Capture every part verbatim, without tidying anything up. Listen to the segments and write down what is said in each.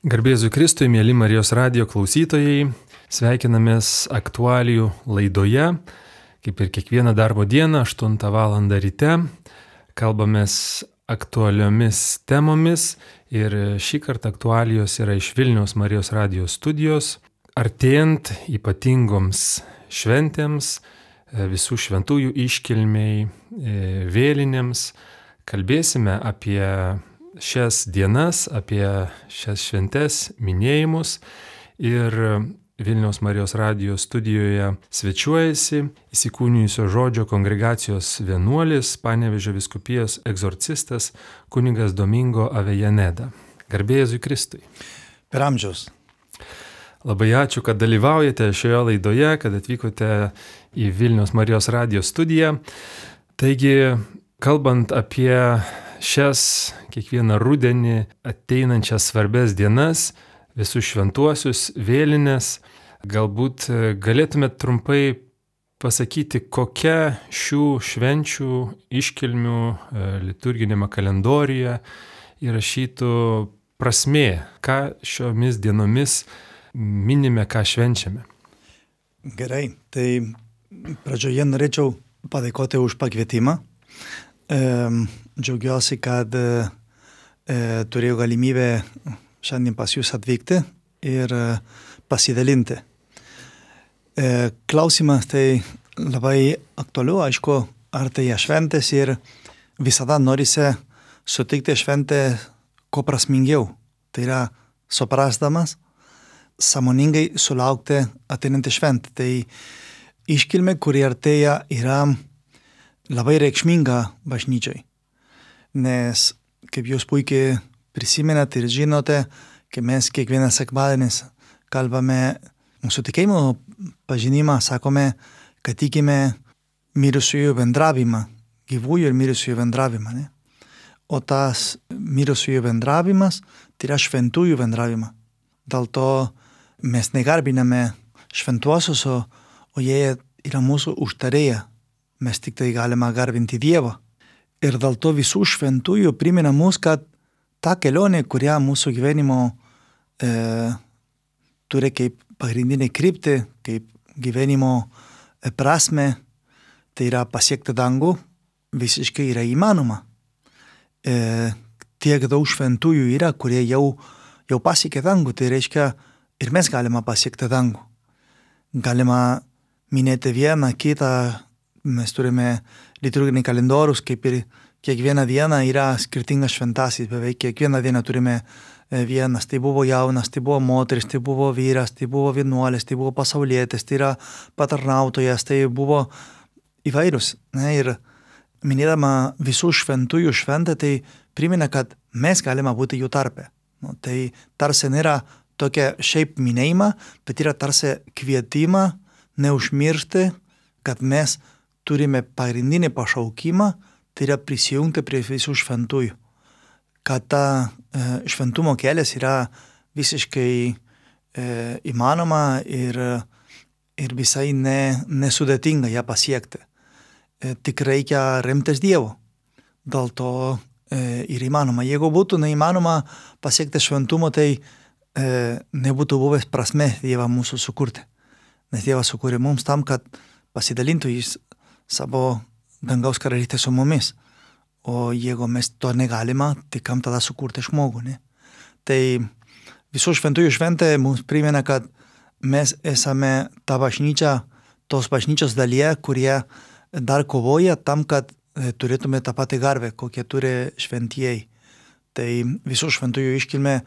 Garbėzui Kristui, mėly Marijos radijo klausytojai, sveikinamės aktualijų laidoje, kaip ir kiekvieną darbo dieną, aštuntą valandą ryte. Kalbamės aktualiomis temomis ir šį kartą aktualijos yra iš Vilniaus Marijos radijo studijos. Artėjant ypatingoms šventėms, visų šventųjų iškilmiai, vėlinėms, kalbėsime apie šias dienas, apie šias šventes, minėjimus. Ir Vilniaus Marijos radijo studijoje svečiuojasi įsikūnijusio žodžio kongregacijos vienuolis, Panevėžio vyskupijos egzorcistas kunigas Domingo Avejaneda. Garbė Jėzui Kristui. Per amžiaus. Labai ačiū, kad dalyvaujate šioje laidoje, kad atvykote į Vilniaus Marijos radijo studiją. Taigi, kalbant apie šias kiekvieną rudenį ateinančias svarbes dienas, visus šventuosius, vėlines, galbūt galėtumėt trumpai pasakyti, kokia šių švenčių iškilmių liturginėme kalendoriuje įrašytų prasmė, ką šiomis dienomis minime, ką švenčiame. Gerai, tai pradžioje norėčiau padėkoti už pakvietimą. E, džiaugiuosi, kad e, turėjau galimybę šiandien pas jūs atvykti ir e, pasidalinti. E, klausimas tai labai aktualiu, aišku, artėja šventės ir visada norisi sutikti šventę ko prasmingiau. Tai yra suprasdamas, sąmoningai sulaukti ateinantį šventę. Tai iškilmė, kuri artėja, yra labai reikšminga bažnyčiai, nes, kaip jūs puikiai prisimenate ir žinote, kai mes kiekvieną sekmadienį kalbame mūsų tikėjimo pažinimą, sakome, kad tikime mirusiųjų bendravimą, gyvųjų ir mirusiųjų bendravimą. Ne? O tas mirusiųjų bendravimas tai yra šventųjų bendravimą. Dėl to mes negarbiname šventuosius, o, o jie yra mūsų užtarėję. Mes tik tai galime garbinti Dievą. Ir dėl to visų šventųjų primena mus, kad ta kelionė, kurią mūsų gyvenimo e, turi kaip pagrindinė kryptį, kaip gyvenimo e, prasme, tai yra pasiekti dangų, visiškai yra įmanoma. E, tiek daug šventųjų yra, kurie jau, jau pasiekė dangų, tai reiškia ir mes galime pasiekti dangų. Galima minėti vieną, kitą. Mes turime liturginį kalendorius, kaip ir kiekvieną dieną yra skirtingas šventasis, beveik kiekvieną dieną turime vienas, tai buvo jaunas, tai buvo moteris, tai buvo vyras, tai buvo vienuolis, tai buvo pasaulietis, tai yra patarnautojas, tai buvo įvairūs. Ne? Ir minėdama visų šventųjų šventę, tai primena, kad mes galime būti jų tarpe. Nu, tai tarsi nėra tokia šiaip minėjima, bet yra tarsi kvietimą neužmiršti, kad mes turime pagrindinį pašaukimą, tai yra prisijungti prie visų šventųjų. Kad ta e, šventumo kelias yra visiškai e, įmanoma ir, ir visai ne, nesudėtinga ją pasiekti. E, tik reikia remtis Dievu. Dėl to e, ir įmanoma. Jeigu būtų neįmanoma pasiekti šventumo, tai e, nebūtų buvęs prasme Dievą mūsų sukurti. Nes Dievas sukūrė mums tam, kad pasidalintų jis savo dangaus karalystę su mumis. O jeigu mes to negalime, tai kam tada sukurti žmogų, ne? Tai visų šventųjų šventė mums primena, kad mes esame ta bažnyčia, tos bažnyčios dalyje, kurie dar kovoja tam, kad turėtume tą patį garbę, kokie turi šventieji. Tai visų šventųjų iškilmė,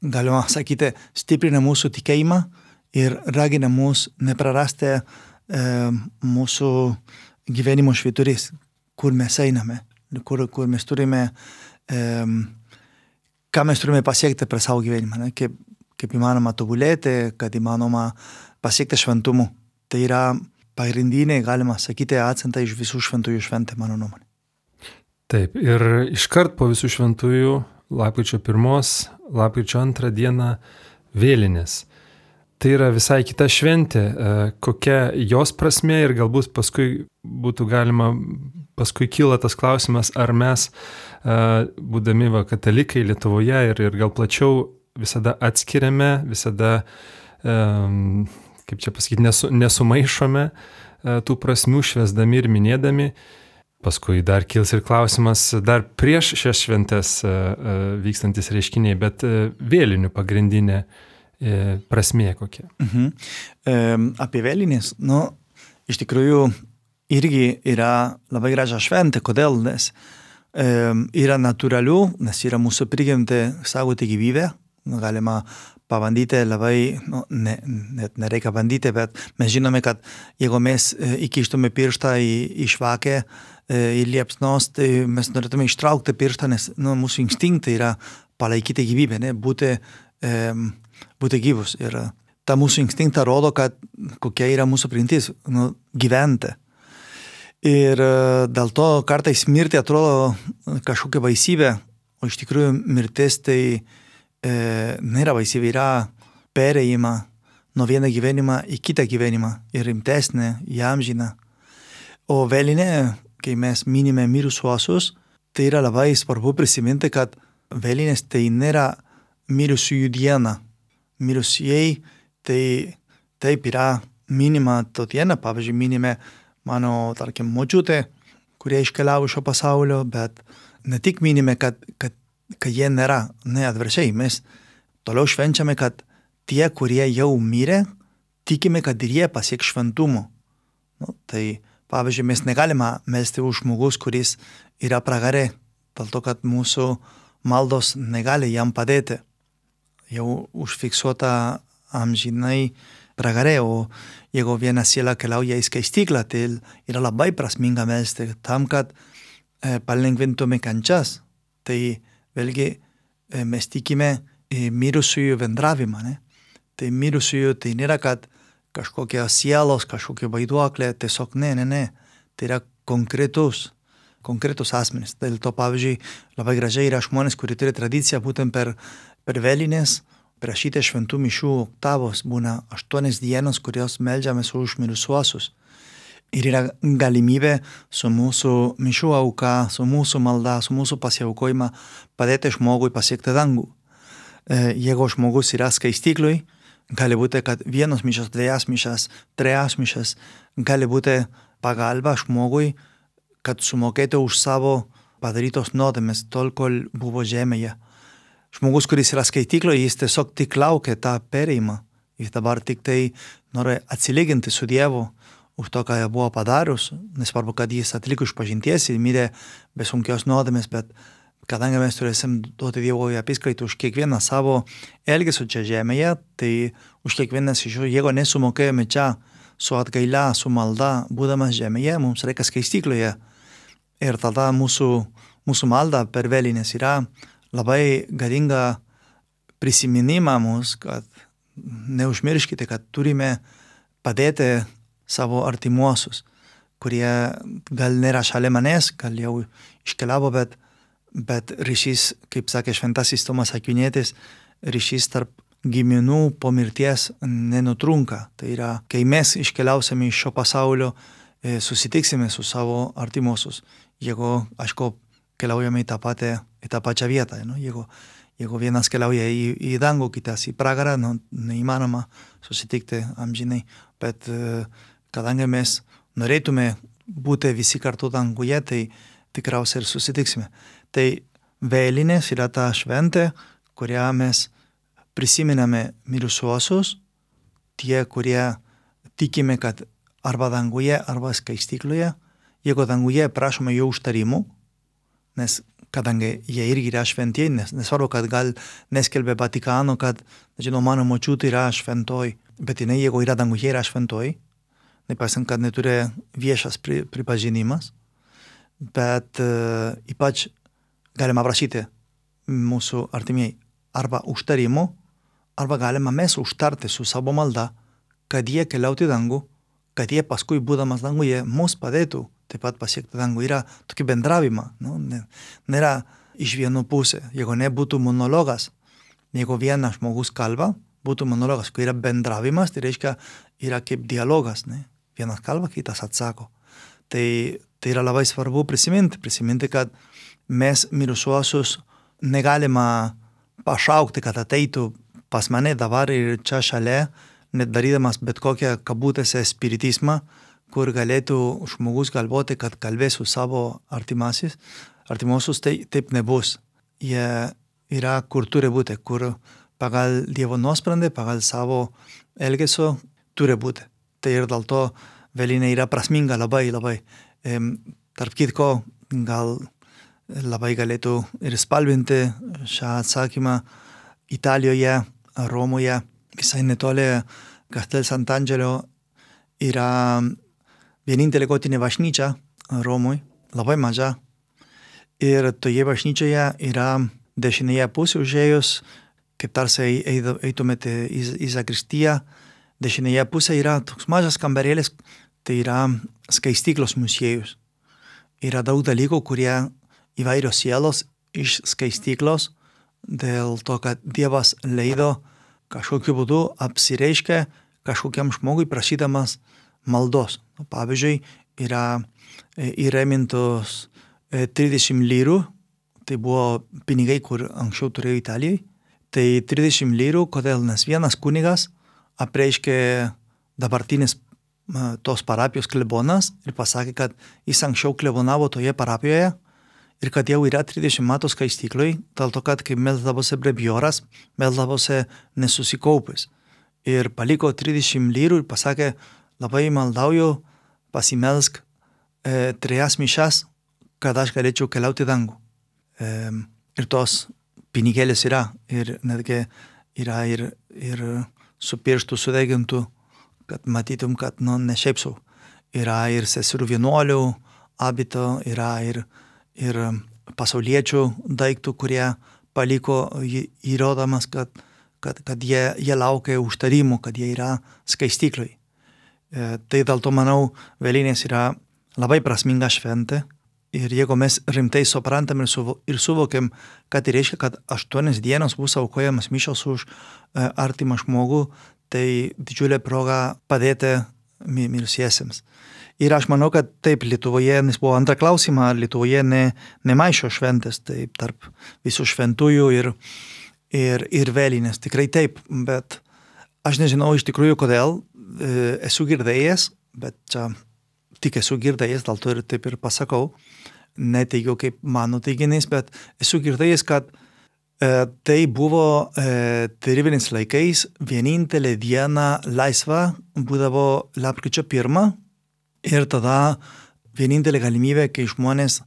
galima sakyti, stiprina mūsų tikėjimą ir ragina mus neprarasti e, mūsų gyvenimo švyturys, kur mes einame, kur, kur mes turime, e, ką mes turime pasiekti per savo gyvenimą, ne? Kaip, kaip įmanoma tobulėti, kad įmanoma pasiekti šventumu. Tai yra pagrindinė, galima sakyti, akcentai iš visų šventųjų šventė, mano nuomonė. Taip, ir iškart po visų šventųjų, lapkričio pirmos, lapkričio antrą dieną vėlinės. Tai yra visai kita šventė, kokia jos prasmė ir galbūt paskui būtų galima, paskui kyla tas klausimas, ar mes, būdami va, katalikai Lietuvoje ir, ir gal plačiau visada atskiriame, visada, um, kaip čia pasakyti, nesu, nesumaišome uh, tų prasmių švęsdami ir minėdami. Paskui dar kils ir klausimas, dar prieš šias šventes uh, uh, vykstantis reiškiniai, bet uh, vėlinių pagrindinė uh, prasmė kokia. Mhm. E, apie vėlinės, nu, iš tikrųjų irgi yra labai graža šventė. Kodėl? Nes e, yra natūralių, nes yra mūsų prigimtė saugoti gyvybę. Galima pabandyti labai, nu, ne, net nereikia bandyti, bet mes žinome, kad jeigu mes įkištume pirštą į, į švakę, į liepsnos, tai mes norėtume ištraukti pirštą, nes nu, mūsų instinktai yra palaikyti gyvybę, ne, būti, e, būti gyvus. Ir ta mūsų instinktą rodo, kad kokia yra mūsų prigimtis, nu, gyventi. Ir dėl to kartais mirti atrodo kažkokia baisybė, o iš tikrųjų mirtis tai e, nėra baisybė, yra perėjimą nuo vieną gyvenimą į kitą gyvenimą ir rimtesnė, įamžina. O vėlinė, kai mes minime mirusiuosius, tai yra labai svarbu prisiminti, kad vėlinės tai nėra mirusiųjų diena. Mirusieji tai taip yra minima to diena, pavyzdžiui, minime mano, tarkim, močiutė, kurie iškeliavo šio pasaulio, bet ne tik minime, kad, kad, kad jie nėra, ne atvirkščiai, mes toliau švenčiame, kad tie, kurie jau mirė, tikime, kad ir jie pasieks šventumo. Nu, tai, pavyzdžiui, mes negalime melsti už žmogus, kuris yra pragare, dėl to, kad mūsų maldos negali jam padėti. Jau užfiksuota amžinai pragare, o jeigu viena siela keliauja į skaistyklą, tai yra labai prasminga melsti tam, kad e, palengvintume kančias. Tai vėlgi e, mes tikime e, mirusiųjų bendravimą. Ne? Tai mirusiųjų tai nėra, kad kažkokios sielos, kažkokie vaiduoklė, tiesiog ne, ne, ne. Tai yra konkretus, konkretus asmenys. Dėl to, pavyzdžiui, labai gražiai yra žmonės, kurie turi tradiciją būtent per, per vėlinės, prašyti šventų mišių oktavos, būna aštuonias dienos, kurios meldžiamės už mirusiuosius. Ir yra galimybė su mūsų mišių auka, su mūsų malda, su mūsų pasiaukojimą padėti žmogui pasiekti dangų. E, jeigu žmogus yra skaistyklui, gali būti, kad vienos mišas, dviejas mišas, trejas mišas, gali būti pagalba žmogui, kad sumokėtų už savo padarytos nuodėmes tol, kol buvo žemėje. Žmogus, kuris yra skaitykloje, jis tiesiog tik laukia tą perėjimą. Jis dabar tik tai nori atsilyginti su Dievu už to, ką jie buvo padarius. Nesvarbu, kad jis atliko išpažinties ir mirė be sunkios nuodėmės, bet kadangi mes turėsim duoti Dievo apskaitų už kiekvieną savo elgesį čia žemėje, tai už kiekvienas iš jų, jeigu nesumokėjome čia su atgaila, su malda, būdamas žemėje, mums reikia skaistykloje. Ir tada mūsų, mūsų malda per vėlinės yra labai galinga prisiminimą mums, kad neužmirškite, kad turime padėti savo artimuosius, kurie gal nėra šalia manęs, gal jau iškeliavo, bet, bet ryšys, kaip sakė šventasis Tomas Akvinietis, ryšys tarp giminų po mirties nenutrunka. Tai yra, kai mes iškeliausime iš šio pasaulio, susitiksime su savo artimuosius. Jeigu, aišku, keliaujame į tą, patę, į tą pačią vietą. Nu? Jeigu, jeigu vienas keliauja į, į dangų, kitas į pragarą, nu, neįmanoma susitikti amžinai. Bet kadangi mes norėtume būti visi kartu danguje, tai tikriausiai ir susitiksime. Tai vėlinės yra ta šventė, kurią mes prisiminame mirusiuosius, tie, kurie tikime, kad arba danguje, arba skaistykloje. Jeigu danguje prašome jų užtarimų, nes kadangi jie irgi yra šventieji, nes nesvarbu, kad gal neskelbė Vatikano, kad, nežinau, mano močiutė yra šventoji, bet jinai, jeigu yra danguje, yra šventoji, nepaisant, kad neturi viešas pri, pripažinimas, bet uh, ypač galima prašyti mūsų artimieji arba užtarimų, arba galima mes užtarti su savo malda, kad jie keliauti dangų, kad jie paskui, būdamas danguje, mus padėtų taip pat pasiekti dangų. Yra tokį bendravimą. Nu, nėra iš vienų pusė. Jeigu nebūtų monologas, jeigu vienas žmogus kalba, būtų monologas. Kai yra bendravimas, tai reiškia, yra kaip dialogas. Ne? Vienas kalba, kitas atsako. Tai, tai yra labai svarbu prisiminti. Prisiminti, kad mes mirusiuosius negalima pašaukti, kad ateitų pas mane dabar ir čia šalia, net darydamas bet kokią kabutėse spiritizmą, kur galėtų žmogus galvoti, kad kalbės su savo artimasis, artimuosius, tai taip nebus. Jie yra, kur turi būti, kur pagal Dievo nuosprendį, pagal savo elgesio turi būti. Tai ir dėl to vėlinė yra prasminga labai, labai. E, tarp kitko, gal labai galėtų ir spalvinti šią atsakymą Italijoje, Romoje, visai netoli Castel Sant'Angelo yra vienintelė gotinė bažnyčia Romoje, labai maža. Ir toje bažnyčioje yra dešinėje pusė užėjus, kaip tarsi eitumėte į, į zakristiją, dešinėje pusė yra toks mažas kambarėlis, tai yra skaistyklos muziejus. Yra daug dalykų, kurie įvairios sielos iš skaistyklos, dėl to, kad Dievas leido kažkokiu būdu apsireiškia kažkokiam žmogui prašydamas maldos. Pavyzdžiui, yra įremintos trisdešimt lyrų, tai buvo pinigai, kur anksčiau turėjo Italijai. Tai trisdešimt lyrų, kodėl? Nes vienas kunigas apreiškė dabartinis tos parapijos klebonas ir pasakė, kad jis anksčiau klebonavo toje parapijoje ir kad jau yra trisdešimt metų skaistykloj, dėl to, kad kai melsdavosi brevioras, melsdavosi nesusikaupęs. Ir paliko trisdešimt lyrų ir pasakė, labai maldauju, pasimelsk e, trejas mišas, kad aš galėčiau keliauti į dangų. E, ir tos pinigėlės yra, ir netgi yra ir, ir su pirštų sudegintų, kad matytum, kad nu, ne šiaip sau. Yra ir seserų vienuolių abito, yra ir, ir pasauliečių daiktų, kurie paliko įrodamas, kad, kad, kad jie, jie laukia užtarimų, kad jie yra skaistykloj. E, tai dėl to, manau, vėlinės yra labai prasminga šventė. Ir jeigu mes rimtai suprantam ir, suvo, ir suvokiam, kad tai reiškia, kad aštuonias dienos bus aukojamas mišios už e, artimą žmogų, tai didžiulė proga padėti mirsiesiems. Ir aš manau, kad taip Lietuvoje, nes buvo antrą klausimą, ar Lietuvoje ne, nemaišo šventės, taip tarp visų šventųjų ir, ir, ir vėlinės. Tikrai taip, bet aš nežinau iš tikrųjų kodėl, e, esu girdėjęs, bet čia tik esu girdėjęs, dėl to ir taip ir pasakau, neteigiau kaip mano teiginys, bet esu girdėjęs, kad e, tai buvo e, tarybiniais laikais vienintelė diena laisva būdavo lapkričio pirmą ir tada vienintelė galimybė, kai žmonės,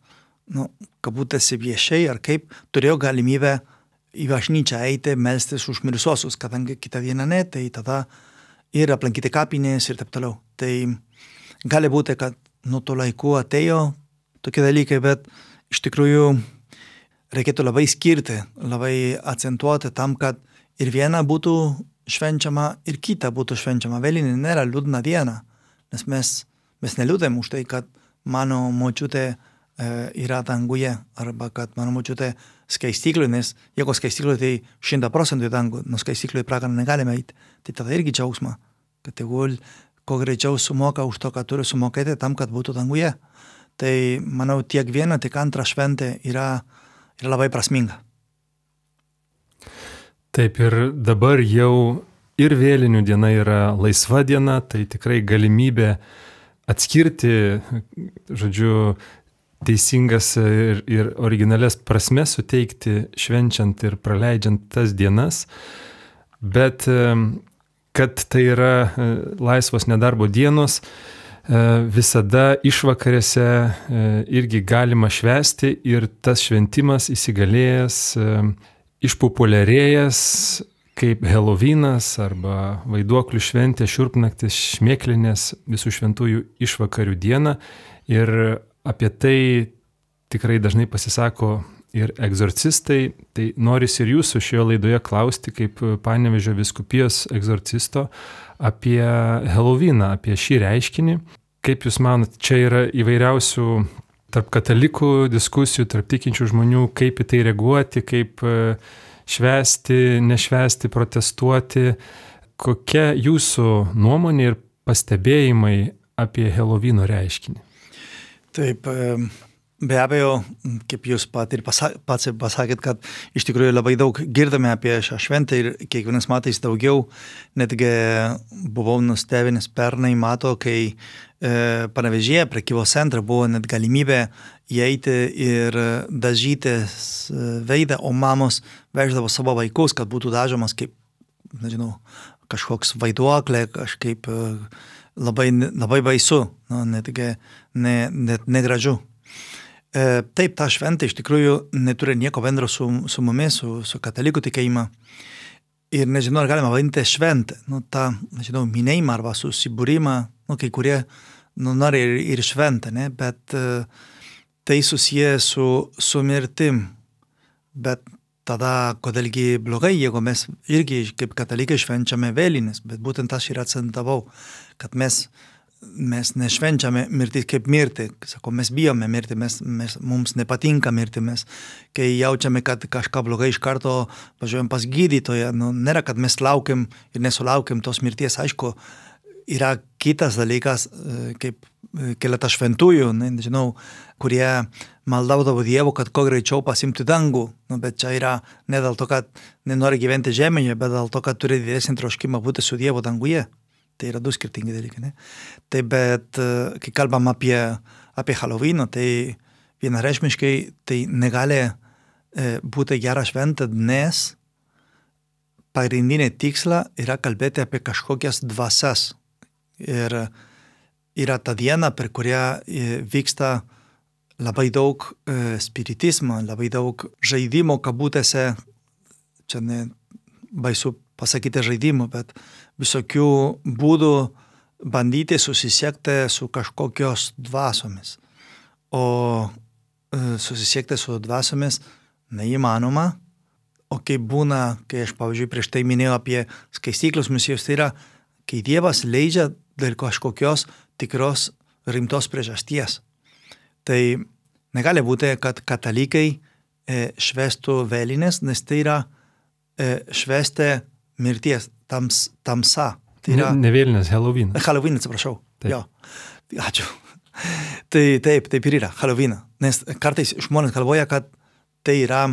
nu, kabutėse viešiai ar kaip, turėjo galimybę į bažnyčią eiti, melstis už mirusiuosius, kadangi kitą dieną ne, tai tada ir aplankyti kapinės ir taip toliau. Tai gali būti, kad nuo to laiku atėjo tokie dalykai, bet iš tikrųjų reikėtų labai skirti, labai akcentuoti tam, kad ir viena būtų švenčiama, ir kita būtų švenčiama. Vėlinė nėra liūdna diena, nes mes, mes neliūdėm už tai, kad mano močiutė e, yra danguje, arba kad mano močiutė skaistyklui, nes jeigu skaistyklui, tai šimtą procentų į dangų, nuo skaistyklui į pragarą negalime eiti. Tai tada irgi džiaugsma, kad tegul ko greičiau sumoka už to, ką turi sumokėti tam, kad būtų danguje. Tai, manau, tiek viena, tiek antra šventė yra, yra labai prasminga. Taip, ir dabar jau ir vėlinių diena yra laisva diena, tai tikrai galimybė atskirti, žodžiu, teisingas ir, ir originalias prasmes suteikti, švenčiant ir praleidžiant tas dienas, bet kad tai yra laisvos nedarbo dienos, visada išvakarėse irgi galima švęsti ir tas šventimas įsigalėjęs, išpopuliarėjęs kaip Helovynas arba vaiduoklių šventė, šiurpnaktis, šmėklinės visų šventųjų išvakarių diena. Ir apie tai tikrai dažnai pasisako ir egzorcistai. Tai norisi ir jūsų šioje laidoje klausti kaip Panevėžio vyskupijos egzorcisto apie Helovyną, apie šį reiškinį. Kaip jūs manot, čia yra įvairiausių tarp katalikų diskusijų, tarp tikinčių žmonių, kaip į tai reaguoti, kaip švęsti, nešvęsti, protestuoti. Kokia jūsų nuomonė ir pastebėjimai apie Helovyno reiškinį? Taip, be abejo, kaip jūs pat ir pasa, pats pasakėt, kad iš tikrųjų labai daug girdame apie šią šventę ir kiekvienais metais daugiau. Netgi buvau nustebinęs pernai mato, kai e, Panevėžyje prekybos centre buvo net galimybė įeiti ir dažytis veidą, o mamos veždavo savo vaikus, kad būtų dažomas kaip, nežinau, kažkoks vaiduoklė, kažkaip labai, labai baisu, nu, netgi ne, net negražu. E, taip, ta šventė iš tikrųjų neturi nieko bendro su, su mumis, su, su katalikų tikėjimą. Ir nežinau, ar galima vadinti šventę. Nu, tą, nežinau, minėjimą arba susibūrimą, nu, kai kurie nu, nori ir, ir šventę, ne? Bet uh, tai susiję su, su mirtim. Bet tada, kodėlgi blogai, jeigu mes irgi kaip katalikai švenčiame vėlines, bet būtent aš ir akcentavau, kad mes mes nešvenčiame mirtį kaip mirtį. Sako, mes bijome mirtį, mes, mes, mums nepatinka mirtį, mes, kai jaučiame, kad kažką blogai iš karto važiuojam pas gydytoją. Nu, nėra, kad mes laukiam ir nesulaukiam tos mirties. Aišku, yra kitas dalykas, kaip keletą šventųjų, ne, nežinau, kurie maldaudavo Dievo, kad kuo greičiau pasimti dangų. Nu, bet čia yra ne dėl to, kad nenori gyventi žemėje, bet dėl to, kad turi didesnį troškimą būti su Dievu danguje. Tai yra du skirtingi dalykai, ne? Tai bet, kai kalbam apie, apie Halloweeną, tai vienareikšmiškai tai negali e, būti gera šventė, nes pagrindinė tiksla yra kalbėti apie kažkokias dvasias. Ir yra ta diena, per kurią e, vyksta labai daug e, spiritizmo, labai daug žaidimo kabutėse, čia ne baisu pasakyti žaidimų, bet visokių būdų bandyti susisiekti su kažkokios dvasomis. O e, susisiekti su dvasomis neįmanoma. O kaip būna, kai aš, pavyzdžiui, prieš tai minėjau apie skaistyklos misijos, tai yra, kai Dievas leidžia dėl kažkokios tikros rimtos priežasties. Tai negali būti, kad katalikai e, švestų vėlines, nes tai yra e, švesti mirties, tams, tamsa. Tai yra... Ne, ne vėlinės, Halloween. Halloween, atsiprašau. Jo. Ačiū. Tai taip, taip ir yra, Halloween. Nes kartais žmonės galvoja, kad tai yra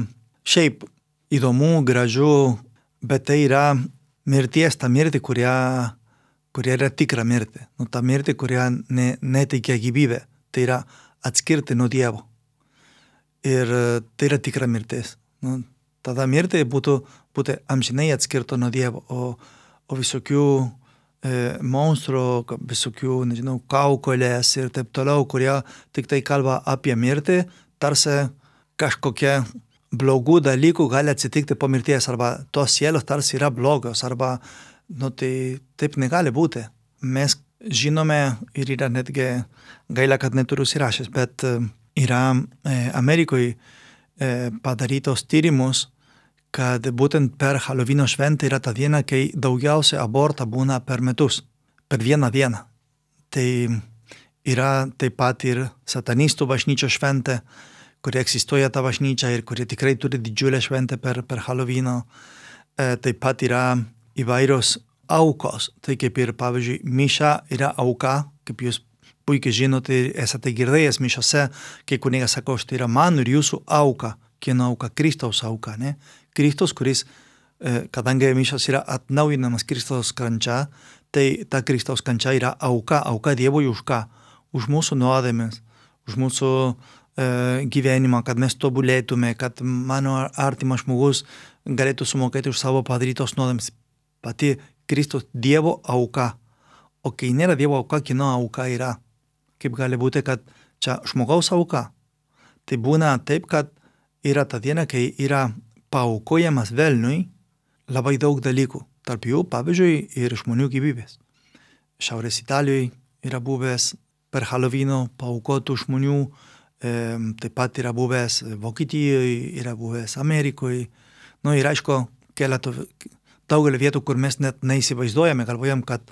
šiaip įdomu, gražu, bet tai yra mirties, ta mirtį, kuria, kuria yra tikra mirtį. Nu, ta mirtį, kuria ne, neteikia gyvybę. Tai yra atskirti nuo Dievo. Ir tai yra tikra mirtis. Nu, tada mirtį būtų, būtų amžinai atskirto nuo Dievo, o, o visokių e, monstrų, visokių, nežinau, kaukolės ir taip toliau, kurie tik tai kalba apie mirtį, tarsi kažkokie blogų dalykų gali atsitikti po mirties, arba tos sielos tarsi yra blogos, arba, nu, tai taip negali būti. Mes žinome ir yra netgi gaila, kad neturiu įsirašęs, bet yra e, Amerikoje padarytos tyrimus, kad būtent per Halloweeno šventę yra ta diena, kai daugiausia abortą būna per metus, per vieną dieną. Tai yra taip pat ir satanistų bažnyčios šventė, kuri egzistuoja ta bažnyčia ir kuri tikrai turi didžiulę šventę per, per Halloweeno. E, taip pat yra įvairios aukos. Tai kaip ir, pavyzdžiui, miša yra auka, kaip jūs puikiai žinote, esate girdėjęs mišiose, kai kunigas sako, štai yra mano ir jūsų auka. Kieno auka? Kristaus auka, ne? Kristus, kuris, kadangi mišios yra atnaujinamas Kristaus kančia, tai ta Kristaus kančia yra auka, auka Dievui už ką? Už mūsų nuodėmes, už mūsų e, gyvenimą, kad mes tobulėtume, kad mano artimas žmogus galėtų sumokėti už savo padarytos nuodėmes. Pati Kristus Dievo auka. O kai nėra Dievo auka, kieno auka yra? Kaip gali būti, kad čia žmogaus auka? Tai būna taip, kad yra ta diena, kai yra paaukojamas velniui labai daug dalykų. Tarp jų, pavyzdžiui, ir žmonių gyvybės. Šiaurės Italijoje yra buvęs per Halloweeno paaukotų žmonių, e, taip pat yra buvęs Vokietijoje, yra buvęs Amerikoje. Nu, ir aišku, keletų daugelį vietų, kur mes net neįsivaizduojame, galvojam, kad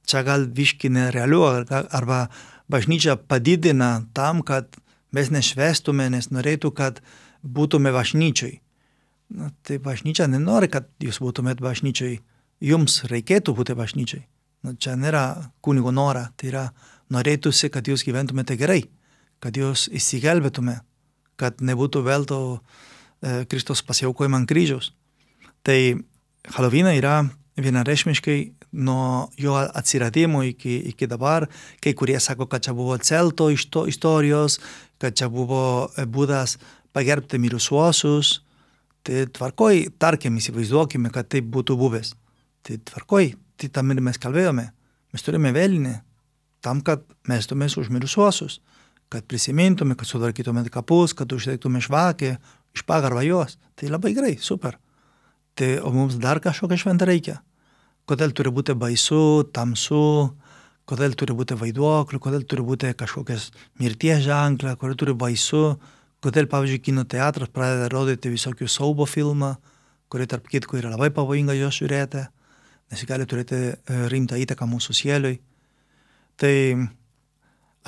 čia gal viški nerealiu, arba bažnyčia padidina tam, kad mes nešvestume, nes norėtų, kad būtume bažnyčioj. Na, tai bažnyčia nenori, kad jūs būtumėt bažnyčioj. Jums reikėtų būti bažnyčioj. Na, čia nėra kunigo nora, tai yra norėtųsi, kad jūs gyventumėte gerai, kad jos įsigelbėtume, kad nebūtų velto e, Kristus pasiaukojimą ant kryžiaus. Tai Halloweenai yra vienareikšmiškai nuo jo atsiradimo iki, iki dabar. Kai kurie sako, kad čia buvo celto iš to istorijos, kad čia buvo būdas pagerbti mirusiuosius. Tai tvarkoj, tarkim, įsivaizduokime, kad taip būtų buvęs. Tai tvarkoj, tai tam ir mes kalbėjome. Mes turime vėlinį tam, kad mestumės už mirusiuosius, kad prisimintume, kad sutvarkytume kapus, kad uždegtume žvakę, iš pagarbą jos. Tai labai gerai, super. Tai o mums dar kažkokią šventą reikia. Kodėl turi būti baisu, tamsu, kodėl turi būti vaiduoklių, kodėl turi būti kažkokias mirties ženklą, kodėl turi baisu, kodėl, pavyzdžiui, kino teatras pradeda rodyti visokių siaubo filmą, kurie tarp kitko yra labai pavojinga jos žiūrėti, nes gali turėti rimtą įtaką mūsų sieliui. Tai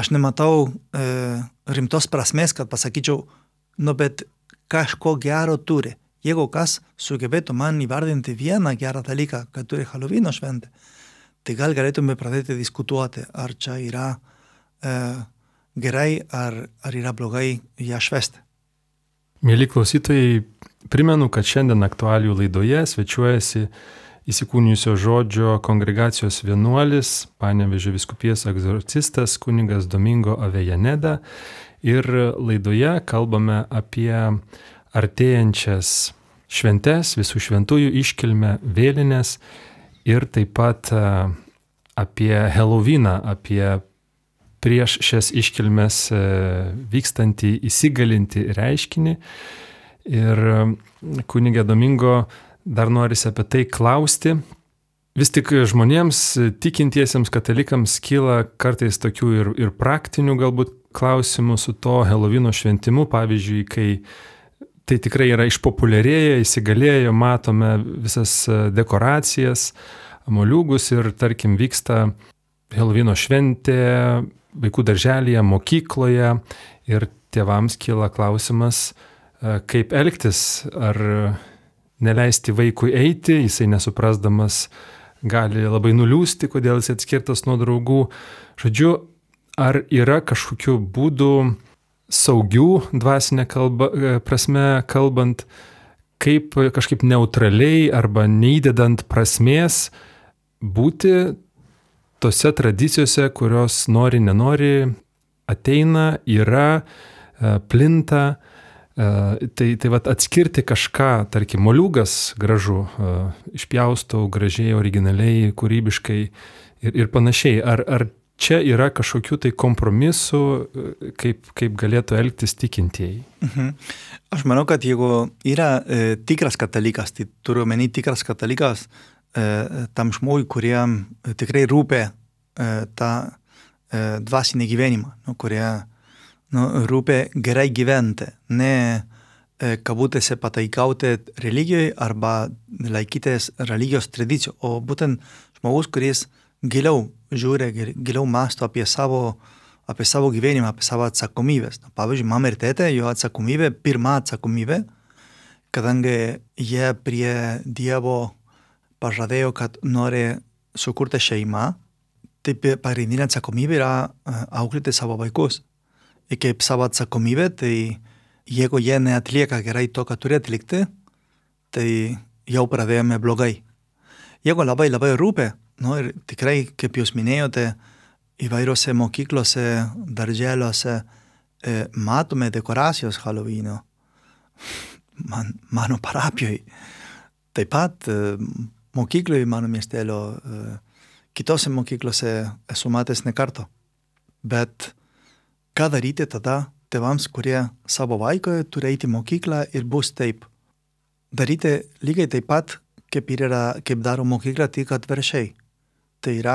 aš nematau e, rimtos prasmės, kad pasakyčiau, nu bet kažko gero turi. Jeigu kas sugebėtų man įvardinti vieną gerą dalyką, kad turi Halloweeno šventę, tai gal galėtume pradėti diskutuoti, ar čia yra e, gerai, ar, ar yra blogai ją švęsti. Mėly klausytojai, primenu, kad šiandien aktualijų laidoje svečiuojasi įsikūnijusio žodžio kongregacijos vienuolis, Panevėžio vyskupijos egzorcistas kunigas Domingo Avejaneda, ir laidoje kalbame apie artėjančias šventes, visų šventųjų iškilmę, vėlines ir taip pat apie Halloweeną, apie prieš šias iškilmes vykstantį, įsigalintį reiškinį. Ir kunigė Domingo, dar norisi apie tai klausti. Vis tik žmonėms, tikintiesiems katalikams kyla kartais tokių ir, ir praktinių galbūt klausimų su to Halloweeno šventimu, pavyzdžiui, kai tai tikrai yra išpopuliarėję, įsigalėjo, matome visas dekoracijas, moliūgus ir tarkim vyksta Halloweeno šventė vaikų darželyje, mokykloje ir tėvams kyla klausimas, kaip elgtis, ar neleisti vaikui eiti, jisai nesuprasdamas gali labai nuliūsti, kodėl jis atskirtas nuo draugų. Žodžiu, ar yra kažkokių būdų saugių dvasinė kalba, prasme kalbant, kaip kažkaip neutraliai arba neįdedant prasmės būti tose tradicijose, kurios nori, nenori, ateina, yra, plinta. Tai, tai vat atskirti kažką, tarkim, moliūgas gražu, išpjaustau gražiai, originaliai, kūrybiškai ir, ir panašiai. Ar, ar čia yra kažkokių tai kompromisų, kaip, kaip galėtų elgtis tikintieji? Mhm. Aš manau, kad jeigu yra e, tikras katalikas, tai turiu omeny tikras katalikas e, tam žmogui, kuriem tikrai rūpė e, tą e, dvasinį gyvenimą, nu, kurie nu, rūpė gerai gyventi, ne e, kabutėse pataikauti religijoje arba laikytis religijos tradicijų, o būtent žmogus, kuris giliau žiūri, giliau mąsto apie savo, apie savo gyvenimą, apie savo atsakomybės. Pavyzdžiui, mama ir tėtė, jo atsakomybė, pirma atsakomybė, kadangi jie prie Dievo pažadėjo, kad nori sukurti šeimą, tai pagrindinė atsakomybė yra auklėti savo vaikus. Ir kaip savo atsakomybė, tai jeigu jie neatlieka gerai to, ką turi atlikti, tai jau pradėjome blogai. Jeigu labai labai rūpė, nu ir tikrai, kaip jūs minėjote, įvairiose mokyklose, darželiuose e, matome dekoracijos Halloweeno. Man, mano parapijoje. Taip pat e, mokykloje, mano miestelio, e, kitose mokyklose esu matęs ne kartą. Bet ką daryti tada tėvams, kurie savo vaiką turi eiti į mokyklą ir bus taip? Daryti lygiai taip pat, kaip, yra, kaip daro mokykla, tik atvirkščiai. Tai yra,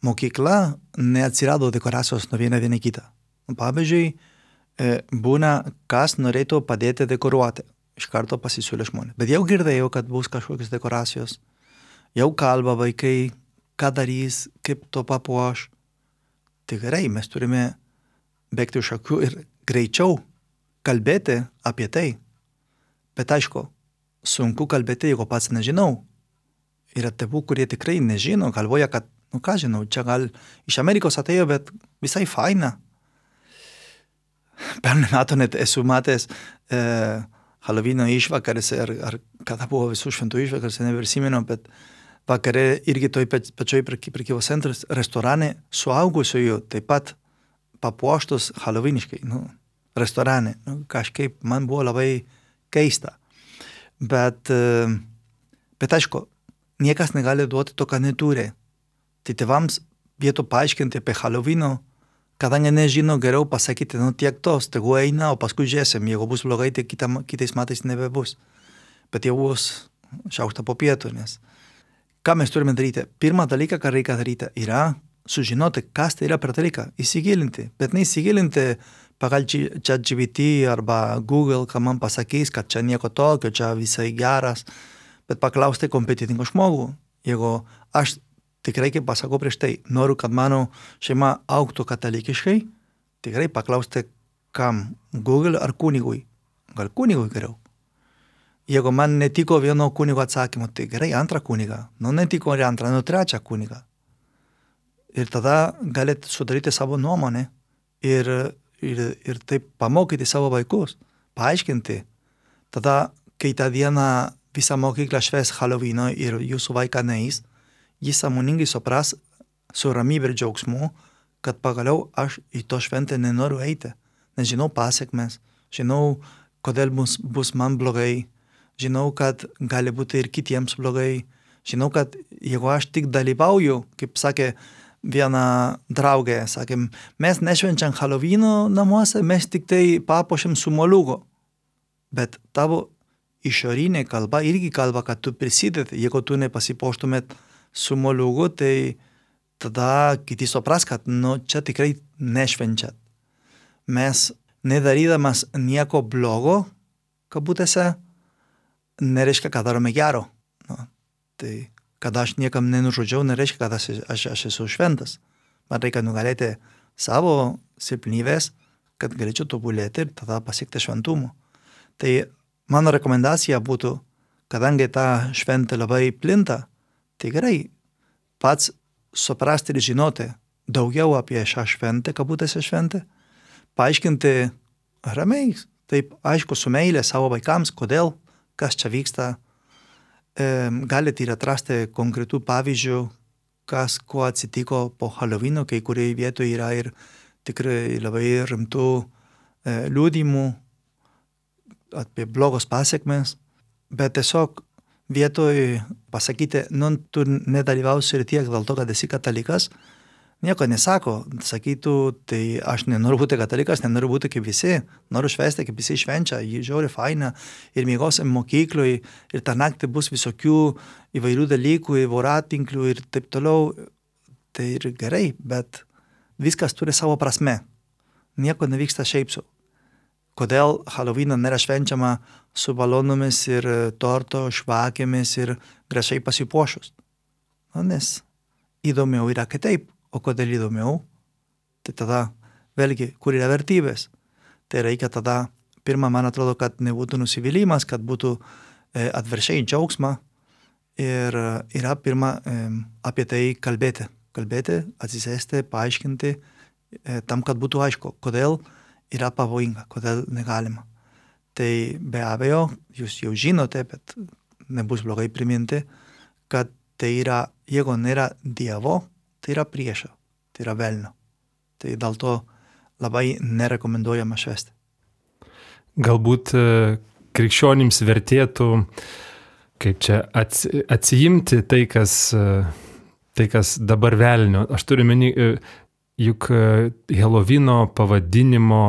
mokykla neatsirado dekoracijos nuo vieną vieną kitą. Pavyzdžiui, būna, kas norėtų padėti dekoruoti. Iš karto pasisiūlė žmonės. Bet jau girdėjau, kad bus kažkokios dekoracijos. Jau kalba vaikai, ką darys, kaip to papuoš. Tai gerai, mes turime bėgti už akių ir greičiau kalbėti apie tai. Bet aišku, sunku kalbėti, jeigu pats nežinau. Yra tėvų, kurie tikrai nežino, galvoja, kad, nu ką žinau, čia gal iš Amerikos atėjo, bet visai faina. pernai metų net esu matęs e, Halloween išvakarėse, ar, ar kada buvo visų šventų išvakarėse, neprisimenu, bet vakare irgi toj pačioj prekybos centras restorane suaugusiųjų taip pat papuoštus halloweeniškai, nu, restorane. Nu, kažkaip man buvo labai keista. Bet, bet aišku, niekas negali duoti to, ką neturi. Tai tėvams vietų paaiškinti apie Halloweeno, kadangi nežino, geriau pasakyti, nu tiek tos, tegu eina, o paskui žiūrėsim, jeigu bus blogai, tai kita, kitais metais nebebus. Bet jau bus šaukštą po pietų, nes ką mes turime daryti? Pirmą dalyką, ką reikia daryti, yra sužinoti, kas tai yra per dalyką, įsigilinti, bet neįsigilinti pagal ChatGPT arba Google, ką man pasakys, kad čia nieko tokio, čia visai geras, bet paklausti kompetitingo žmogų. Jeigu aš tikrai, kaip pasakau prieš tai, noriu, kad mano šeima augtų katalikiškai, tikrai paklausti, kam, Google ar kunigui. Gal kunigui geriau. Jeigu man netiko vieno kunigo atsakymo, tai gerai, antrą kunigą. Nu, netiko ir antrą, nu, trečią kunigą. Ir tada galite sudaryti savo nuomonę ir, ir, ir taip pamokyti savo vaikus, paaiškinti. Tada, kai tą dieną visą mokyklą švęs Halloweeno ir jūsų vaiką neis, jis sąmoningai supras su ramybė ir džiaugsmu, kad pagaliau aš į to šventę nenoriu eiti. Nes žinau pasiekmes, žinau, kodėl bus, bus man blogai, žinau, kad gali būti ir kitiems blogai. Žinau, kad jeigu aš tik dalyvauju, kaip sakė viena draugė, sakėm, mes nešvenčiam Halloweeno namuose, mes tik tai papuošiam su moliūgu. Bet tavo išorinė kalba irgi kalba, kad tu prisidedi. Jeigu tu nepasipuoštumėt su moliūgu, tai tada kiti supras, kad nu, čia tikrai nešvenčiat. Mes nedarydamas nieko blogo, kabutėse, nereiškia, kad darome gero. Nu, tai, kad aš niekam nenužudžiau, nereiškia, kad aš, aš, aš esu šventas. Man reikia nugalėti savo silpnybės, kad galėčiau tobulėti ir tada pasiekti šventumo. Tai mano rekomendacija būtų, kadangi ta šventė labai plinta, tai gerai, pats suprasti ir žinoti daugiau apie šią šventę, kabutėse šventę, paaiškinti ramiai, taip aišku, su meilė savo vaikams, kodėl, kas čia vyksta. E, galite ir atrasti konkretų pavyzdžių, kas, kuo atsitiko po Halloweeno, kai kurioje vietoje yra ir tikrai labai rimtų e, liudymų apie blogos pasiekmes, bet tiesiog vietoj pasakyti, nu, tu nedalyvausi ir tiek dėl to, kad esi katalikas, nieko nesako, sakytų, tai aš nenoriu būti katalikas, nenoriu būti kaip visi, noriu švęsti, kaip visi švenčia, jį žiauri faina, ir miegosim mokyklui, ir tą naktį bus visokių įvairių dalykų, voratinklių ir taip toliau, tai ir gerai, bet viskas turi savo prasme, nieko nevyksta šiaip sau. Kodėl Halloweeną nėra švenčiama su balonomis ir torto, švakėmis ir gražiai pasipuošus? Nu, nes įdomiau yra kitaip. O kodėl įdomiau? Tai tada vėlgi, kur yra vertybės? Tai reikia tada, pirmą, man atrodo, kad nebūtų nusivylimas, kad būtų e, atviršiai džiaugsma ir yra pirmą e, apie tai kalbėti. Kalbėti, atsisėsti, paaiškinti, e, tam, kad būtų aišku, kodėl yra pavojinga, kodėl negalima. Tai be abejo, jūs jau žinote, bet nebus blogai priminti, kad tai yra, jeigu nėra Dievo, tai yra priešo, tai yra velnio. Tai dėl to labai nerekomenduojama švęsti. Galbūt krikščionims vertėtų, kaip čia, atsijimti tai, kas, tai, kas dabar velnio. Aš turiu meni, juk Halloweeno pavadinimo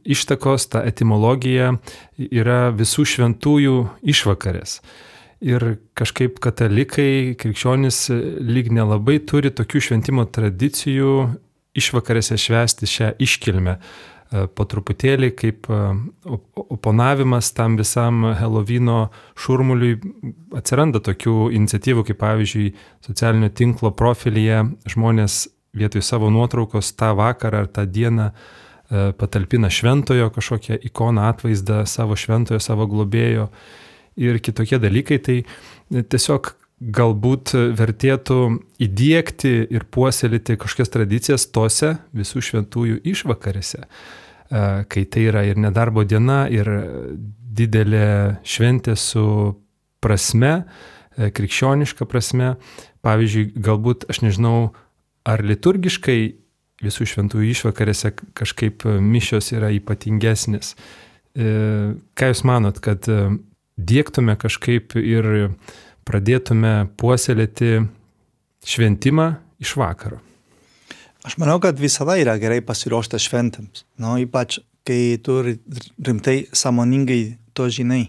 ištakos, ta etimologija yra visų šventųjų išvakarės. Ir kažkaip katalikai, krikščionys lyg nelabai turi tokių šventimo tradicijų išvakarėse švęsti šią iškilmę. Po truputėlį kaip oponavimas tam visam Halloweeno šurmuliui atsiranda tokių iniciatyvų, kaip pavyzdžiui socialinio tinklo profilyje žmonės vietoj savo nuotraukos tą vakarą ar tą dieną patalpina šventojo kažkokią ikoną, atvaizdą savo šventojo, savo globėjo ir kitokie dalykai. Tai tiesiog galbūt vertėtų įdiegti ir puoselėti kažkokias tradicijas tose visų šventųjų išvakarėse, kai tai yra ir nedarbo diena, ir didelė šventė su prasme, krikščioniška prasme. Pavyzdžiui, galbūt, aš nežinau, ar liturgiškai visų šventųjų išvakarėse kažkaip mišios yra ypatingesnės. Ką Jūs manot, kad diegtume kažkaip ir pradėtume puoselėti šventimą iš vakaro? Aš manau, kad visada yra gerai pasiruošta šventėms. Nu, ypač, kai tu rimtai sąmoningai to žinai.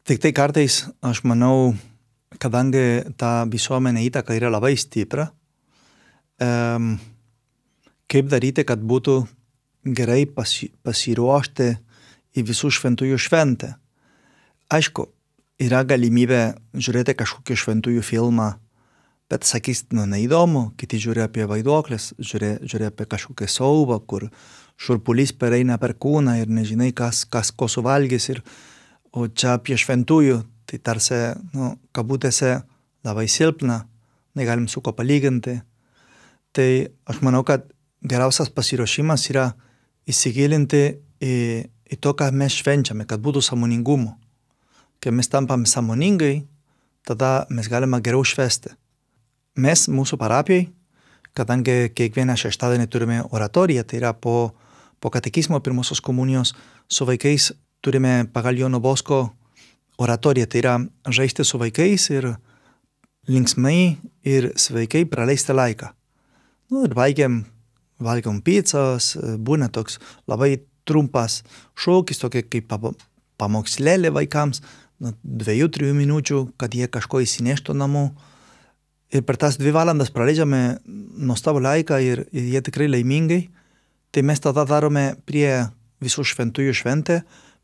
Tik tai kartais, aš manau, kadangi ta visuomenė įtaka yra labai stipra, um, kaip daryti, kad būtų gerai pasi, pasiruošti į visų šventųjų šventę. Aišku, yra galimybė žiūrėti kažkokį šventųjų filmą, bet sakys, nu, neįdomu, kiti žiūri apie vaiduoklės, žiūri, žiūri apie kažkokią siaubą, kur šurpulys pereina per kūną ir nežinai, kas, kas ko suvalgys. Ir, o čia apie šventųjų, tai tarsi, nu, kabutėse labai silpna, negalim su ko palyginti. Tai aš manau, kad geriausias pasiruošimas yra įsigilinti į, į to, ką mes švenčiame, kad būtų sąmoningumo. Kai mes tampame sąmoningai, tada mes galime geriau švęsti. Mes, mūsų parapijai, kadangi kiekvieną šeštadienį turime oratoriją, tai yra po, po katekizmo pirmosios komunijos, su vaikais turime pagal Jono Bosko oratoriją, tai yra žaisti su vaikais ir linksmai ir sveikai praleisti laiką. Nu, ir baigiam, valgiam pizzas, būna toks labai trumpas šokis, tokia kaip pamokslėlė vaikams, nu, dviejų, trijų minučių, kad jie kažko įsineštų namo. Ir per tas dvi valandas praleidžiame nuostabų laiką ir, ir jie tikrai laimingai. Tai mes tada darome prie visų šventųjų šventę,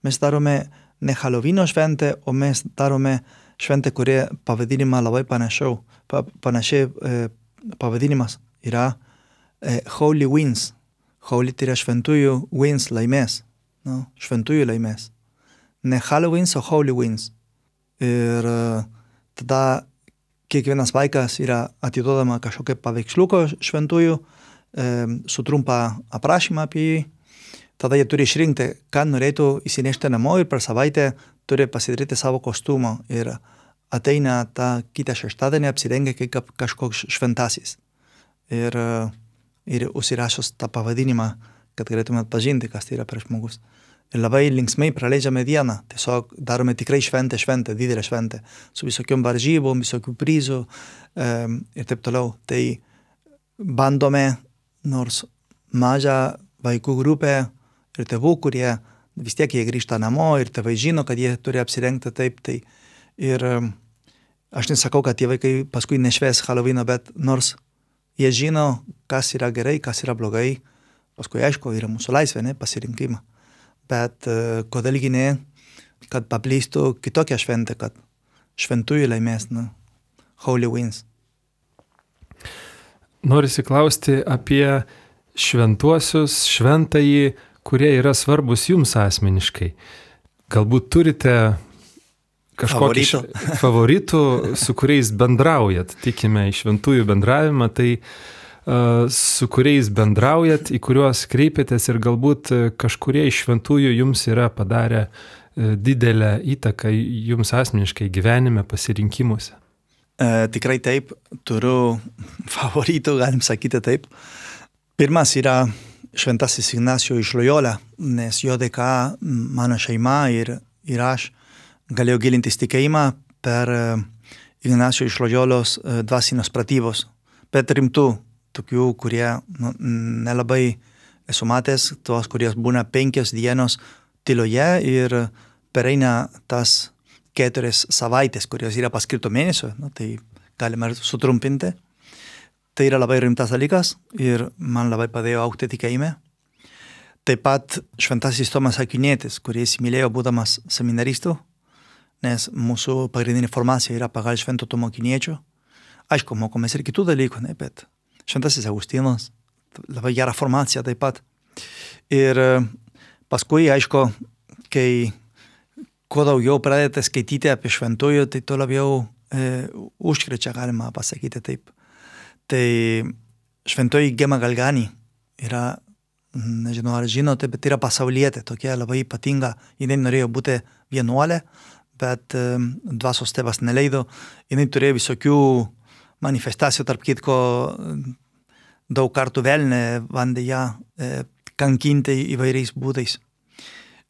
mes darome ne Halloween'o šventę, o mes darome šventę, kurie pavadinimą labai panašiau, pa, panašiai e, pavadinimas yra e, Holy Wins. Holy tai yra šventųjų wins, laimės. No, šventųjų laimės. Ne Halloweens, o Holy Wins. Ir e, tada kiekvienas vaikas yra atiduodama kažkokia paveiksliuko šventųjų, e, su trumpa aprašymą apie jį. Tada jie turi išrinkti, ką norėtų įsinešti namo ir per savaitę turi pasidaryti savo kostiumą. Ir ateina tą kitą šeštadienį apsirengia kaip kažkoks šventasis. Ir, ir užsirašos tą pavadinimą, kad galėtume atpažinti, kas tai yra per žmogus. Ir labai linksmai praleidžiame dieną. Tiesiog darome tikrai šventę, šventę, didelę šventę. Su visokiom varžybom, visokių prizų um, ir taip toliau. Tai bandome, nors mažą vaikų grupę ir tėvų, kurie vis tiek jie grįžta namo ir tėvai žino, kad jie turi apsirengti taip. Tai ir um, aš nesakau, kad tie vaikai paskui nešvės Halloween'o, bet nors jie žino, kas yra gerai, kas yra blogai, paskui aišku, yra mūsų laisvė, ne, pasirinkimą. Bet uh, kodėlgi ne, kad paplistų kitokią šventę, kad šventųjų laimės, nu, Holy Wins. Norisi klausti apie šventuosius, šventąjį, kurie yra svarbus jums asmeniškai. Galbūt turite kažkokį š... favoritų, su kuriais bendraujat, tikime į šventųjų bendravimą, tai su kuriais bendraujat, į kuriuos kreipiatės ir galbūt kažkurie iš šventųjų jums yra padarę didelę įtaką jums asmeniškai gyvenime, pasirinkimuose. E, tikrai taip, turiu favoritų, galim sakyti taip. Pirmas yra šventasis Ignacio iš Loyola, nes jo dėka mano šeima ir, ir aš galėjau gilintis tikėjimą per Ignacio iš Loyolos dvasinios pratybos, bet rimtų, tokių, kurie nu, nelabai esu matęs, tos, kurie būna penkios dienos tyloje ir pereina tas keturias savaitės, kurios yra paskirto mėnesio, nu, tai galima sutrumpinti. Tai yra labai rimtas dalykas ir man labai padėjo augti tikėjime. Taip pat šventasis Tomas Akvinietis, kuris įmylėjo būdamas seminaristu, nes mūsų pagrindinė formacija yra pagal švento Tomo Akviniečio. Aišku, mokomės ir kitų dalykų, ne, bet šventasis Augustinas, labai gera formacija taip pat. Ir paskui, aišku, kai kuo daugiau pradėte skaityti apie šventųjų, tai tuo labiau e, užkrečia, galima pasakyti taip. Tai šventoji Gema Galgani yra, nežinau ar žinote, bet yra pasaulietė, tokia labai ypatinga. Jinai norėjo būti vienuolė, bet e, dvasios tėvas neleido. Jinai turėjo visokių manifestacijų, tarp kitko daug kartų velnė bandė ją e, kankinti įvairiais būdais.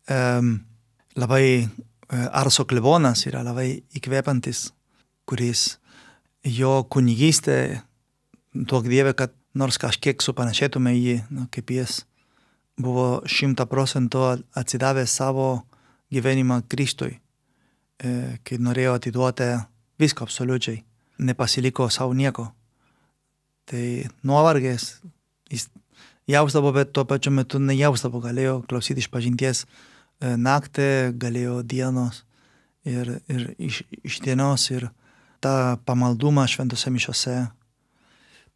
E, labai e, Arso klebonas yra labai įkvepiantis, kuris jo kunigystė, duok Dieve, kad nors kažkiek supanašėtume jį, nu, kaip jis buvo šimta procentų atsidavęs savo gyvenimą Kristui, e, kai norėjo atiduoti viską absoliučiai, nepasiliko savo nieko. Tai nuovargės jis jausdavo, bet tuo pačiu metu nejausdavo, galėjo klausyti iš pažinties e, naktį, galėjo dienos ir, ir iš, iš dienos ir tą pamaldumą šventose mišiose.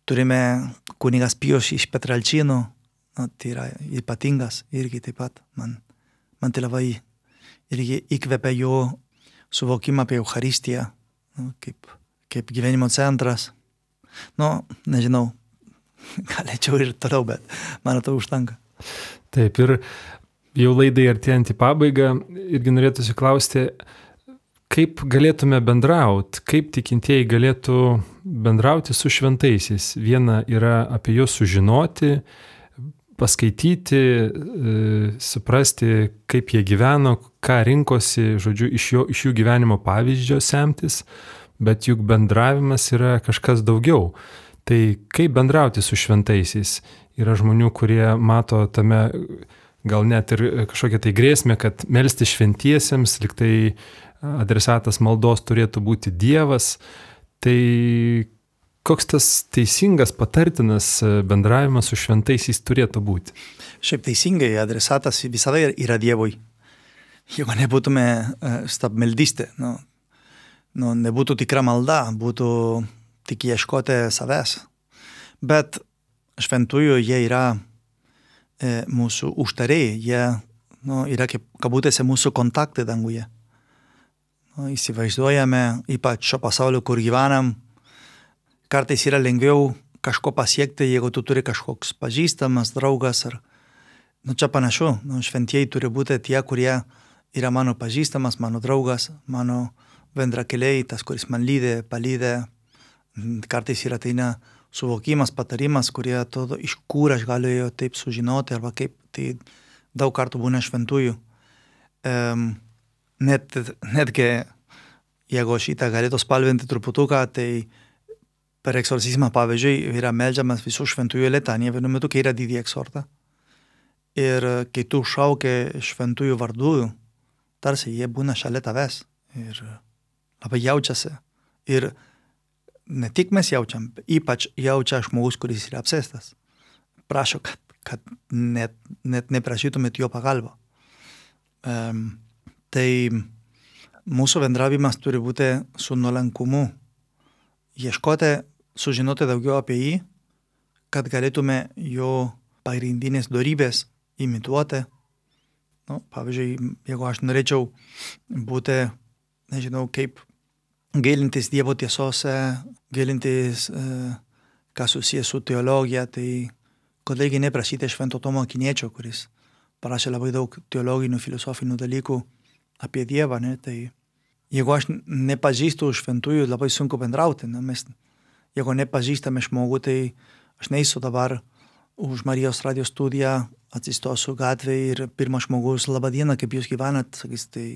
Turime kunigas Pijus iš Petralčino, nu, tai yra ypatingas irgi taip pat. Man, man tai labai irgi įkvepia jo suvokimą apie Eucharistiją, nu, kaip, kaip gyvenimo centras. Nu, nežinau, galėčiau ir toliau, bet man to užtenka. Taip, ir jau laidai artėjant į pabaigą, irgi norėtųsi klausti, kaip galėtume bendrauti, kaip tikintieji galėtų bendrauti su šventaisiais. Viena yra apie juos sužinoti, paskaityti, e, suprasti, kaip jie gyveno, ką rinkosi, žodžiu, iš, jo, iš jų gyvenimo pavyzdžio semtis, bet juk bendravimas yra kažkas daugiau. Tai kaip bendrauti su šventaisiais? Yra žmonių, kurie mato tame gal net ir kažkokią tai grėsmę, kad melsti šventiesiems, lyg tai adresatas maldos turėtų būti Dievas. Tai koks tas teisingas, patartinas bendravimas su šventaisiais turėtų būti? Šiaip teisingai, adresatas visada yra Dievui. Jeigu nebūtume stabmeldystė, nu, nu, nebūtų tikra malda, būtų tik ieškoti savęs. Bet šventųjų jie yra e, mūsų užtarėjai, jie nu, yra kaip kabutėse mūsų kontaktai danguje. Nu, įsivaizduojame, ypač šio pasaulio, kur gyvenam, kartais yra lengviau kažko pasiekti, jeigu tu turi kažkoks pažįstamas, draugas. Ar, nu, čia panašu, nu, šventieji turi būti tie, kurie yra mano pažįstamas, mano draugas, mano bendrakeliai, tas, kuris man lydė, palydė. Kartais yra tai ne suvokimas, patarimas, kurie atrodo, iš kur aš galėjau taip sužinoti, arba kaip tai daug kartų būna šventųjų. Um, net, netgi, jeigu šitą galėtų spalvinti truputuką, tai per eksorcizmą, pavyzdžiui, yra meldžiamas visų šventųjų letanija, vienu metu, kai yra didį eksortą. Ir kai tu šauki šventųjų vardų, tarsi jie būna šalia tavęs. Ir labai jaučiasi. Ir ne tik mes jaučiam, ypač jaučia žmogus, kuris yra apsėstas. Prašo, kad, kad net, net neprašytumėt jo pagalbą. Um, tai mūsų bendravimas turi būti su nuolankumu. Ieškoti, sužinoti daugiau apie jį, kad galėtume jo pagrindinės dorybės imituoti. Nu, pavyzdžiui, jeigu aš norėčiau būti, nežinau, kaip gilintis Dievo tiesose, gilintis, e, kas susijęs su teologija, tai kodėlgi neprašyti Švento Tomo Akiniečio, kuris parašė labai daug teologinių, filosofinių dalykų apie Dievą, ne? Tai jeigu aš nepažįstu šventųjų, labai sunku bendrauti. Ne? Mes, jeigu nepažįstame žmogų, tai aš neįsiu dabar už Marijos radijo studiją, atsistosiu gatvėje ir pirmas žmogus, laba diena, kaip jūs gyvenat, sakys, tai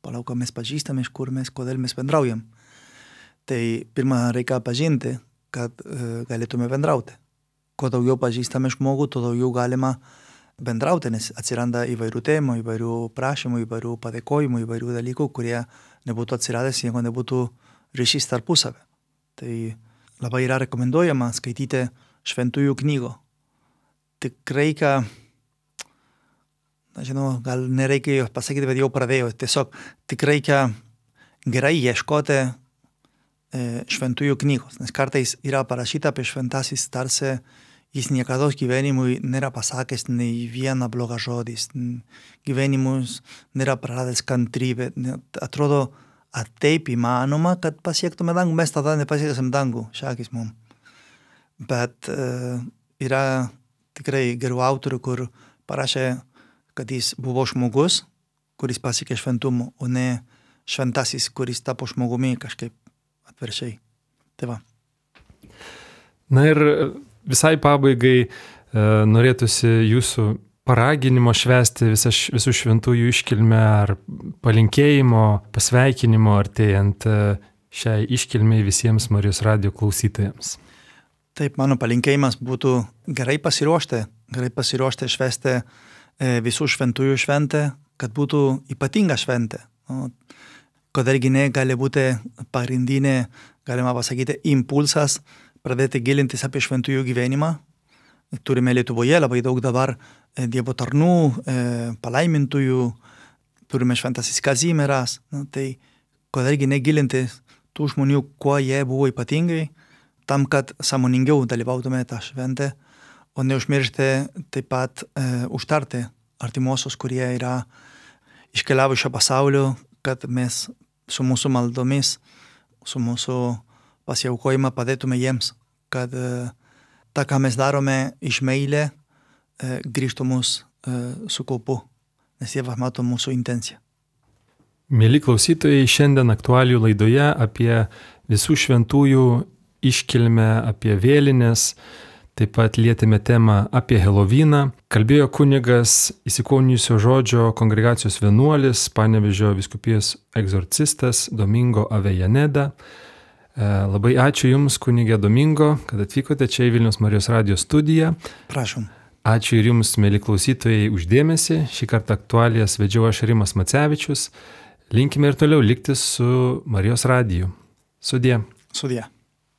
palauk, mes pažįstame, iš kur mes, kodėl mes bendraujam. Tai pirmą reikia pažinti, kad e, galėtume bendrauti. Kuo daugiau pažįstame žmogų, tuo daugiau galima bendrauti, nes atsiranda įvairių temų, įvairių prašymų, įvairių padėkojimų, įvairių dalykų, kurie nebūtų atsiradęs, jeigu nebūtų ryšys tarpusavę. Tai labai yra rekomenduojama skaityti šventųjų knygų. Tik reikia, nežinau, gal nereikia jo pasakyti, bet jau pradėjau. Tiesiog tik reikia gerai ieškoti e, šventųjų knygos, nes kartais yra parašyta apie šventasis, tarsi jis niekada gyvenimui nėra pasakęs nei vieną blogą žodį, gyvenimus nėra praradęs kantrybę. Atrodo, ar taip įmanoma, kad pasiektume dangų, mes tada nepasieksim dangų, šakis mum. Bet uh, yra tikrai gerų autorių, kur parašė, kad jis buvo žmogus, kuris pasiekė šventumą, o ne šventasis, kuris tapo žmogumi kažkaip atviršiai. Tai va. Na ir visai pabaigai e, norėtųsi jūsų paraginimo švęsti visą, visų šventųjų iškilmę ar palinkėjimo, pasveikinimo artėjant šiai iškilmei visiems Marijos radijo klausytojams. Taip, mano palinkėjimas būtų gerai pasiruošti, gerai pasiruošti švęsti e, visų šventųjų šventę, kad būtų ypatinga šventė. O, kadangi ne gali būti pagrindinė, galima pasakyti, impulsas pradėti gilintis apie šventųjų gyvenimą. Turime Lietuvoje labai daug dabar e, Dievo tarnų, e, palaimintųjų, turime šventasis Kazimieras. Nu, tai kadangi negilintis tų žmonių, kuo jie buvo ypatingai, tam, kad sąmoningiau dalyvautume tą šventę, o neužmiršti taip pat e, užtarti artimuosius, kurie yra iškeliavę šio pasaulio, kad mes su mūsų maldomis, su mūsų pasiaukojimą padėtume jiems, kad e, tą, ką mes darome iš meilė, e, grįžtų mus e, su kaupu, nes Dievas mato mūsų intenciją. Mieli klausytojai, šiandien aktualijų laidoje apie visų šventųjų iškilmę, apie vėlines, taip pat lietėme temą apie Helovyną. Kalbėjo kunigas įsikūnijusio žodžio kongregacijos vienuolis, Panevėžio vyskupijos egzorcistas Domingo Avejaneda. Labai ačiū Jums, kunigė Domingo, kad atvykote čia į Vilniaus Marijos radijo studiją. Prašom. Ačiū ir Jums, mėly klausytojai, už dėmesį. Šį kartą aktualijas vedžiau aš Rimas Macevičius. Linkime ir toliau likti su Marijos radiju. Sudie. Sudie.